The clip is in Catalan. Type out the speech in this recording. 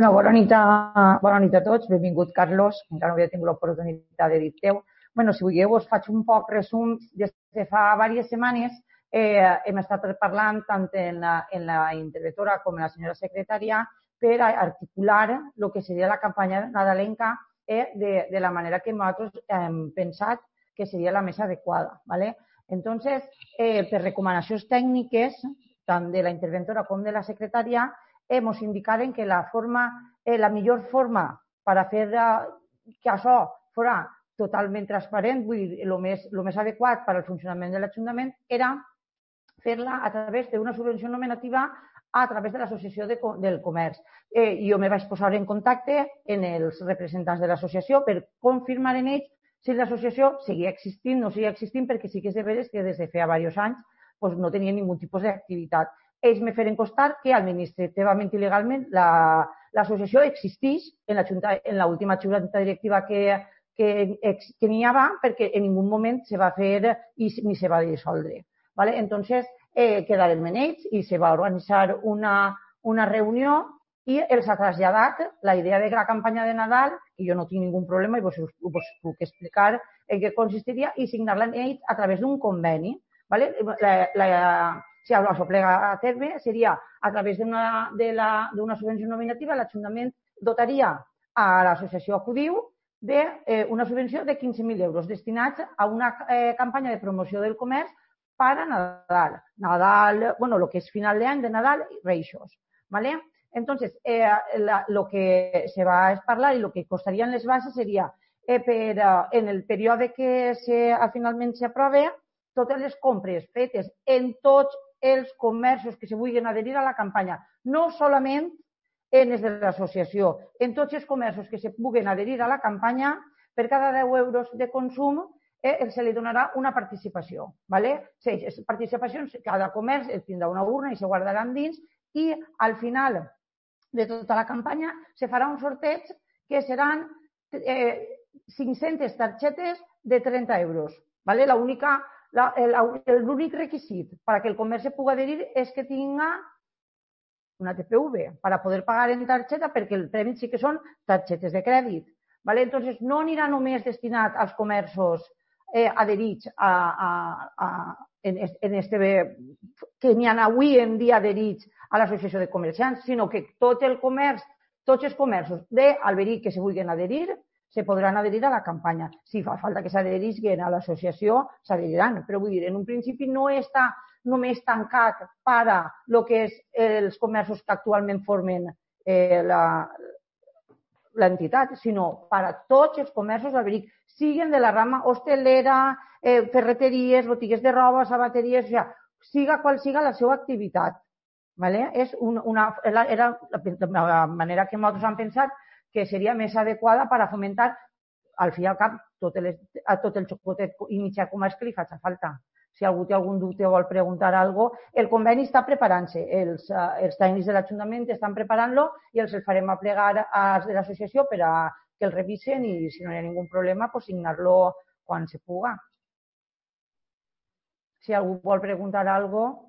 Bona nit a tots. Benvingut, Carlos. Encara no havia tingut l'oportunitat de dir-te-ho. Si vulgueu, us faig un poc resum. Des de fa diverses setmanes hem estat parlant tant en la interventora com en la senyora secretària per articular el que seria la campanya nadalenca de la manera que nosaltres hem pensat que seria la més adequada. Entonces, per recomanacions tècniques, tant de la interventora com de la secretària, ens indicaren que la millor forma per a fer que això fos totalment transparent, vull dir, el més adequat per al funcionament de l'Ajuntament era fer-la a través d'una subvenció nominativa a través de l'Associació del Comerç. Jo me vaig posar en contacte amb els representants de l'associació per confirmar en ells si l'associació seguia existint o no seguia existint, perquè sí que és de veres que des de feia diversos anys no tenia ningú tipus d'activitat. Ells me feren constar que administrativament i legalment l'associació existeix en l'última junta directiva que n'hi havia, perquè en ningú moment se va fer ni se va dissoldre. Entonces, quedarem en ells i se va organitzar una reunió i els ha traslladat la idea de la campanya de Nadal, que jo no tinc ningú problema i us puc explicar en què consistiria, i signar-la en ells a través d'un conveni. Si això plega a terme, seria a través d'una subvenció nominativa, l'Ajuntament dotaria a l'associació Acudiu d'una subvenció de 15.000 euros destinats a una campanya de promoció del comerç per a Nadal, el que és final d'any de Nadal i Reixos. Entonces, el que se va a parlar i el que costarien les bases seria en el període que finalment s'aprova, totes les compres fetes en tots els comerços que se vulguin adherir a la campanya, no solament en els de l'associació, en tots els comerços que se vulguin adherir a la campanya, per cada 10 euros de consum se li donarà una participació. Les participacions, cada comerç tindrà una urna i se guardaran dins, i al final de tota la campanya se farà un sorteig que seran 500 targetes de 30 euros. L'únic requisit perquè el comerç se pugui adherir és que tingui una TPV per a poder pagar en targeta, perquè el premi sí que són targetes de crèdit. Entonces, no anirà només destinat als comerços adherits que n'hi ha avui en dia adherits a l'associació de comerciants, sinó que tots els comerços d'Alberic que se vulguin adherir se podran adherir a la campanya. Si fa falta que s'adherisquen a l'associació, s'adheriran. Però vull dir, en un principi no està només tancat per a el que és els comerços que actualment formen l'entitat, sinó per a tots els comerços d'Alberic, siguin de la rama hostelera, ferreteries, botigues de roba, sabateries, siga qual siga la seva activitat. Era la manera que nosaltres hem pensat que seria més adequada per a fomentar, al fi i al cap, a tot el xocotet i mitjà comerç que li faci falta. Si algú té algun dubte o vol preguntar alguna cosa, el conveni està preparant-se. Els tècnics de l'Ajuntament estan preparant-lo i els farem aplegar als de l'associació per a que el revisen i, si no hi ha ningú problema, signar-lo quan se puga. Si algú vol preguntar alguna cosa...